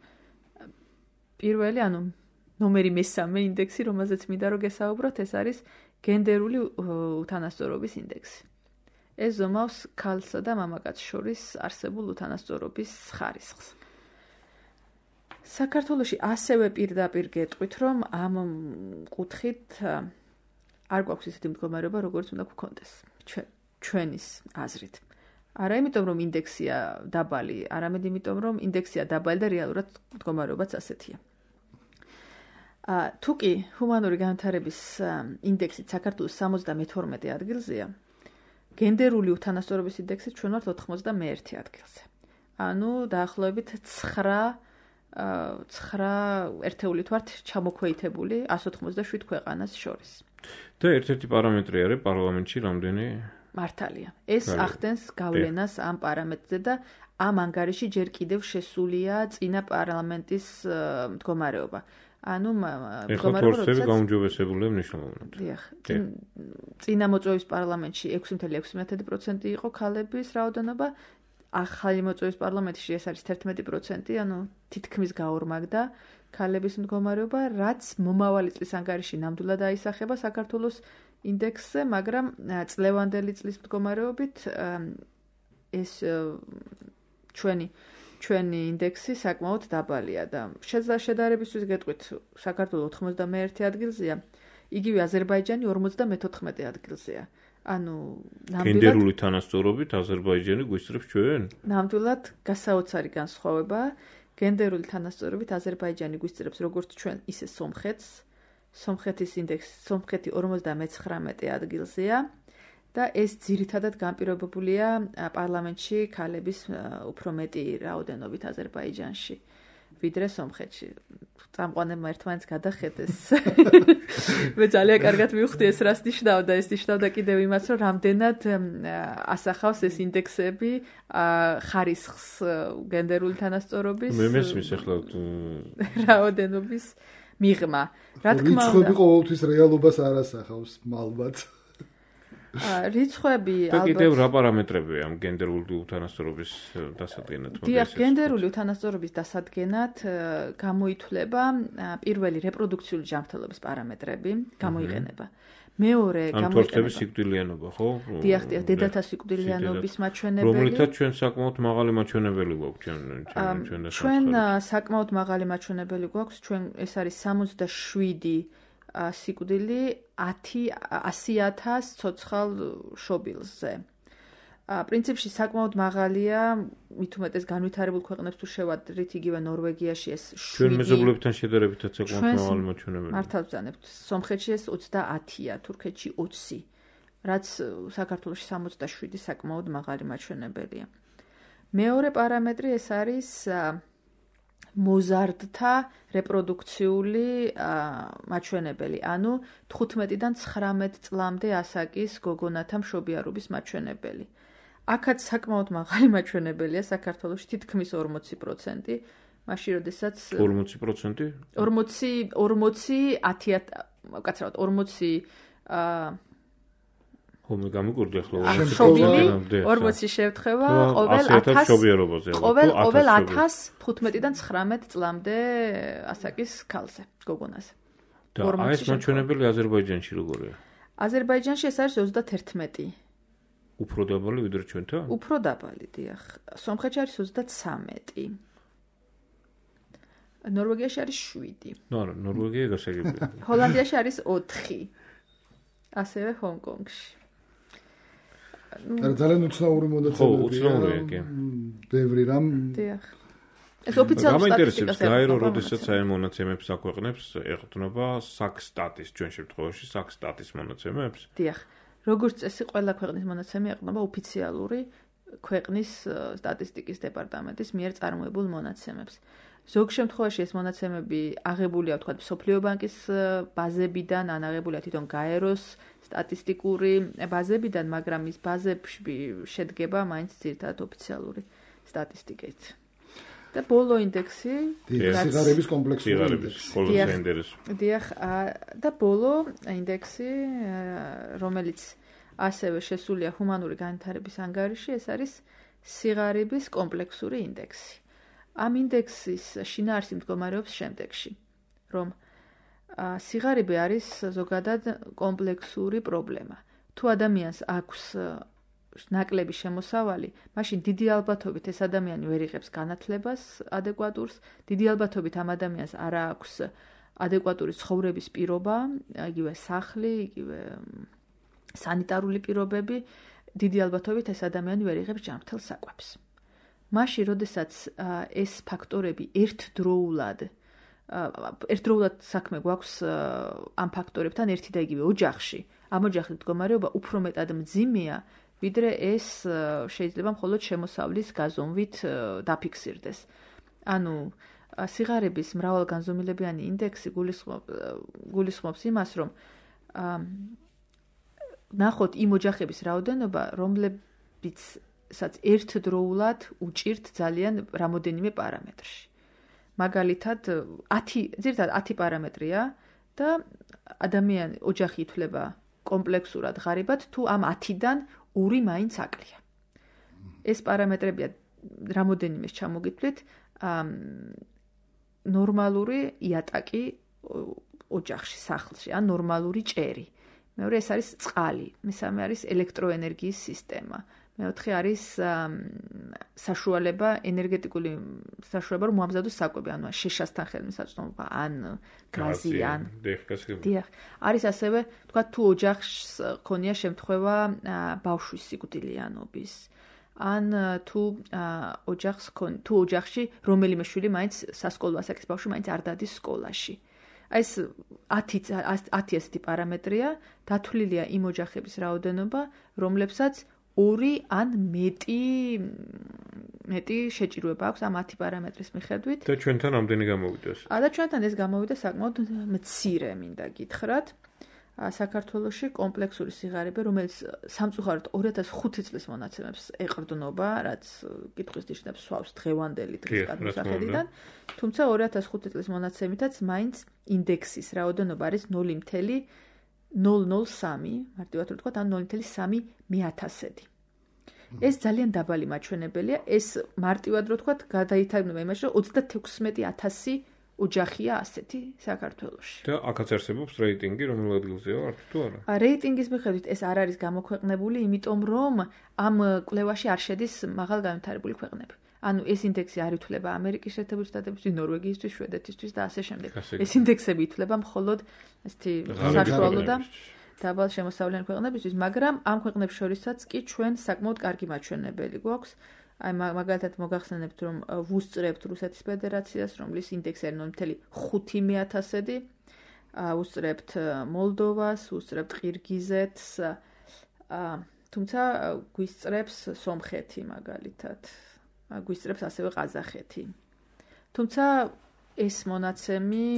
პირველი, ანუ ნომერი მესამე ინდექსი, რომელზეც მინდა რომ გესაუბროთ, ეს არის გენდერული უთანასწორობის ინდექსი. ეს ზომავს ქალსა და მამაკაცს შორის არსებულ უთანასწორობის ხარისხს. საქართველოში ასევე პირდაპირ გეტყვით, რომ ამ კუთხით არ გვაქვს ისეთი მდგომარეობა, როგორც უნდა გვქონდეს ჩვენის აზრით. არა იმიტომ, რომ ინდექსია დაბალი, არამედ იმიტომ, რომ ინდექსია დაბალი და რეალურად მდგომარეობაც ასეთია. თუკი ჰუმანური განვითარების ინდექსით საქართველოს 72 ადგილზეა, გენდერული უთანასწორობის ინდექსით ჩვენ ვართ 91 ადგილზე. ანუ დაახლოებით 9 ერთეულით ვართ ჩამოქვეითებული 187 ქვეყანას შორის. და ერთ-ერთი პარამეტრი არის პარლამენტში რამდენი მართალია. ეს ახდენს გავლენას ამ პარამეტრზე და ამ ანგარიში ჯერ კიდევ შესულია წინა პარლამენტის მდგომარეობა. ანუ მდგომარეობა როდესაც გაუმჯობესებულია მნიშვნელოვნად. დიახ. წინა მოწვევის პარლამენტში 6.6% იყო ქალების რაოდენობა, ახალი მოწვევის პარლამენტში ეს არის 11%, ანუ თითქმის გაორმაგდა ქალების მდგომარეობა, რაც მომავალი წლის ანგარიში ნამდვილად აისახება საქართველოს ინდექსზე, მაგრამ წლევანდელი წლის მდგომარეობით ეს ჩვენი ინდექსი საკმაოდ დაბალია და შედარებისთვის გეტყვით, საქართველოს 91 ადგილზეა, იგივე აზერბაიჯანი 54 ადგილზეა. ანუ გენდერული თანასწორობით აზერბაიჯანი გვისწრებს ჩვენ? ნამდვილად გასაოცარი განსხვავება. გენდერული თანასწორობით აზერბაიჯანი გვისწრებს როგორც ჩვენ, ისე სომხეთს. სომხეთის ინდექსი, სომხეთი 59 ადგილზეა და ეს ძირითადად განპირობებულია პარლამენტში ქალების უფრო მეტი რაოდენობით აზერბაიჯანში, ვიდრე სომხეთში. წამყვანებმა ერთმანეთს გადახედეს. მე ძალიან კარგად მივხვდი ეს რას ნიშნავდა. ეს ნიშნავდა კიდევ იმას, რომ რამდენად ასახავს ეს ინდექსები ხარისხს გენდერული თანასწორობის მე მესმის ახლა რაოდენობის მიღმა. რა თქმა უნდა, რიცხვები ყოველთვის რეალობას არ ასახავს, ალბათ. რიცხვები ალბათ. და კიდევ რა პარამეტრებია ამ გენდერული უთანასწორობის დასადგენად? დიახ, გენდერული უთანასწორობის დასადგენად გამოითვლება პირველი რეპროდუქციული ჯანმრთელობის პარამეტრები, გამოიყენება. მეორე გამოიყენება სიკვდილიანობა, ხო? დიახ, დედათა სიკვდილიანობის მაჩვენებელი. რომლითაც ჩვენ საკმაოდ მაღალი მაჩვენებელი გვაქვს ჩვენ საკმაოდ მაღალი მაჩვენებელი გვაქვს. ჩვენ ეს არის 67 სიკვდილი 100,000 ცოცხალ შობილზე. პრინციპში საკმაოდ მაღალია, მით უმეტეს განვითარებულ ქვეყნებს თუ შევადრით, იგივე ნორვეგიაში ეს 7. ჩვენ მეზობლებთან შედარებითაც საკმაოდ მაღალი მაჩვენებელი. მართალ ვძანებთ. სომხეთში ეს 30-ია, თურქეთში 20, რაც საქართველოში 67 საკმაოდ მაღალი მაჩვენებელია. მეორე პარამეტრი ეს არის მოზარდთა რეპროდუქციული მაჩვენებელი, ანუ 15-დან 19 წლამდე ასაკის გოგონათა მშობიარობის მაჩვენებელი. აქაც საკმაოდ მაღალი მაჩვენებელია საქართველოში თითქმის 40%, მაშინ როდესაც 40%? 40 კაცრავად 40 ხომ გამიგურდი ახლა 40 შევთხება ყოველ 1000 15-დან 19 წლამდე ასაკის ქალზე, გოგონაზე. და ეს მაჩვენებელი აზერბაიჯანში როგორია? აზერბაიჯანში ეს არის 31. უფრო დაბალი ვიდრე ჩვენთან? უფრო დაბალი, დიახ. სომხეთში არის 33. ნორვეგიაში არის 7. არა, ნორვეგია გასაგებია. ჰოლანდიაში არის 4. ასევე ჰონგ-კონგში. ძალიან უცნაური მონაცემებია. ხო, უცნაურია, კი. ბევრი რამ. დიახ. ეს ოფიციალური სტატისტიკა გაერო როდესაც აი მონაცემებს აქვეყნებს, ეყრდნობა საქსტატის ჩვენ შემთხვევაში საქსტატის მონაცემებს? დიახ. როგორც წესი, ყველა ქვეყნის მონაცემი ეყრდნობა ოფიციალური ქვეყნის სტატისტიკის დეპარტამენტის მიერ წარმოებულ მონაცემებს. ზოგ შემთხვევაში ეს მონაცემები აღებულია, ვთქვათ, მსოფლიო ბანკის ბაზებიდან, ან აღებულია თვითონ გაეროს სტატისტიკური ბაზებიდან, მაგრამ ის ბაზებში შედგება მაინც ძირითადად ოფიციალური სტატისტიკით. და ბოლო ინდექსი, სიგარების კომპლექსური ინდექსი. დიახ, და ბოლო ინდექსი, რომელიც ასევე შესულია ჰუმანური განვითარების ანგარიში, ეს არის სიგარების კომპლექსური ინდექსი. ამ ინდექსის შინაარსი მდგომარეობს შემდეგში, რომ სიგარები არის ზოგადად კომპლექსური პრობლემა. თუ ადამიანს აქვს ნაკლები შემოსავალი, მაშინ დიდი ალბათობით ეს ადამიანი ვერ იღებს განათლებას ადეკვატურს, დიდი ალბათობით ამ ადამიანს არ აქვს ადეკვატური ცხოვრების პირობა, იგივე სახლი, იგივე სანიტარული პირობები, დიდი ალბათობით ეს ადამიანი ვერ იღებს ჯანმრთელ საკვებს. მაშინ, როდესაც ეს ფაქტორები ერთდროულად საქმე გვაქვს ამ ფაქტორებთან ერთი და იგივე ოჯახში, ამ ოჯახის მდგომარეობა უფრო მეტად მძიმეა, ვიდრე ეს შეიძლება მხოლოდ შემოსავლის გაზომვით დაფიქსირდეს. ანუ სიგარების მრავალგანზომილებიანი ინდექსი გულისხმობს იმას, რომ ნახოთ იმ ოჯახების რაოდენობა, რომლებიც ერთდროულად უჭირთ ძალიან რამოდენიმე პარამეტრში. მაგალითად, 10 პარამეტრია და ოჯახი ითვლება კომპლექსურად ღარიბად, თუ ამ 10-დან 2 მაინც აკლია. ეს პარამეტრებია რამოდენიმეს ჩამოგითვლით, ნორმალური იატაკი ოჯახში, სახლში, ან ნორმალური ჭერი. მეორე ეს არის წყალი, მესამე არის ელექტროენერგიის სისტემა. მეოთხე არის საშუალება, ენერგეტიკული საშუალება, რომ მოამზადოს საკვები, ანუ შეშასთან ხელმისაწვდომობა, ან გაზი, ან დიახ. არის ასევე, თქვა, თუ ოჯახს ქონია შემთხვევა ბავშვის სიკვდილიანობის, ან თუ ოჯახში რომელიმე შვილი მაინც სასკოლო ასაკის ბავშვი მაინც არ დადის სკოლაში. ეს 10 ესეთი პარამეტრია, დათვლილია იმ ოჯახების რაოდენობა, რომლებსაც 2 ან მეტი შეჭირვება აქვს ამ 10 პარამეტრის მიხედვით. და ჩვენთან ამდენი გამოვიდეს. და ჩვენთან ეს გამოვიდა საკმაოდ მცირე, მინდა გითხრათ. საქართველოში კომპლექსური სიგარები, რომელიც სამწუხაროდ 2005 წლის მონაცემებს ეყრდნობა, რაც კითხვის ნიშნებს სვავს დღევანდელი დღის გადმოსახედიდან, თუმცა 2005 წლის მონაცემითაც მაინც ინდექსის რაოდენობა არის 0.003, მარტივად რომ ვთქვათ, ან 0.3 მე-1000-დი. ეს ძალიან დაბალი მაჩვენებელია, ეს მარტივად რომ ვთქვათ, გადაითარგმნება იმაში, რომ 36,000 ოჯახია ასეთი საქართველოში. და აქაც არსებობს რეიტინგი, რომელ ადგილზეა ვართ თუ არა? რეიტინგის მიხედვით ეს არ არის გამოქვეყნებული, იმიტომ რომ ამ კვლევაში არ შედის მაღალ განვითარებული ქვეყნები. ანუ ეს ინდექსი არ ითვლება ამერიკის შეერთებული შტატებისთვის, ნორვეგიისთვის, შვედეთისთვის და ასე შემდეგ. ეს ინდექსები ითვლება მხოლოდ ესეთი საშუალო და დაბალ შემოსავლიანი ქვეყნებისთვის, მაგრამ ამ ქვეყნებს შორისაც კი ჩვენ საკმაოდ კარგი მაჩვენებელი გვაქვს. აი მაგალითად მოგახსენებთ, რომ ვუსწრებთ რუსეთის ფედერაციას, რომლის ინდექსი არის 0.5/1000-დი, ვუსწრებთ მოლდოვას, ვუსწრებთ ყირგიზეთს, თუმცა გვისწრებს სომხეთი მაგალითად, გვისწრებს ასევე ყაზახეთი. თუმცა ეს მონაცემი,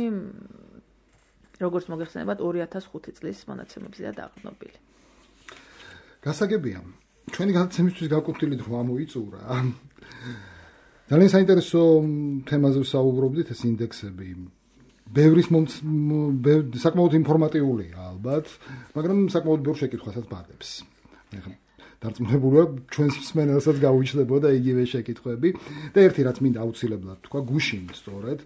როგორც მოგეხსენებათ, 2005 წლის მონაცემებზეა დაყრდნობილი. გასაგებია. ჩვენი გადაცემისთვის გაკუთვნილით რომ ამოიწურა. ძალიან საინტერესო თემაზე ვსაუბრობდით, ეს ინდექსები. საკმაოდ ინფორმატიულია ალბათ, მაგრამ საკმაოდ ბევრ შეკითხვასაც ბადებს. დარწმუნებულია ჩვენს მსმენელსაც გაუჩნდებოდა იგივე შეკითხვები და ერთი რაც მინდა აუცილებლად თქვა, გუშინ სწორედ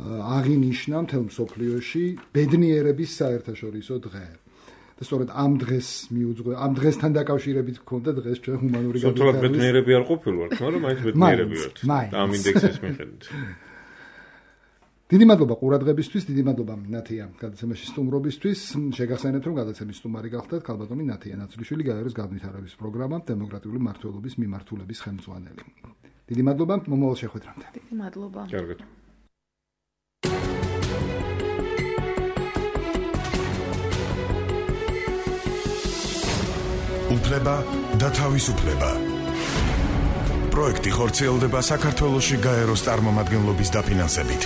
აღინიშნა მთელ მსოფლიოში ბედნიერების საერთაშორისო დღე. და სწორედ ამ დღეს მიუძღვე, ამ დღესთან დაკავშირებით გქონდა დღეს ჩვენ ჰუმანური განვითარების. სულთნად ბედნიერები არ ყოფილვართ, მაგრამ მაინც ბედნიერები ვართ. ამ ინდექსის მიხედვით. დიდი მადლობა ყურადღებისთვის, დიდი მადლობა ნათია გადაცემაში სტუმრობისთვის. შეგახსენებთ, რომ გადაცემის სტუმარი გახდათ ქალბატონი ნათია ნაცრიშვილი, გაეროს განვითარების პროგრამა დემოკრატიული მმართველობის მიმართულების ხელმძღვანელი. დიდი მადლობა, მომავალ შეხვედრამდე. დიდი მადლობა. კარგად. უფლება და თავისუფლება. პროექტი ხორციელდება საქართველოში გაეროს წარმომადგენლობის დაფინანსებით.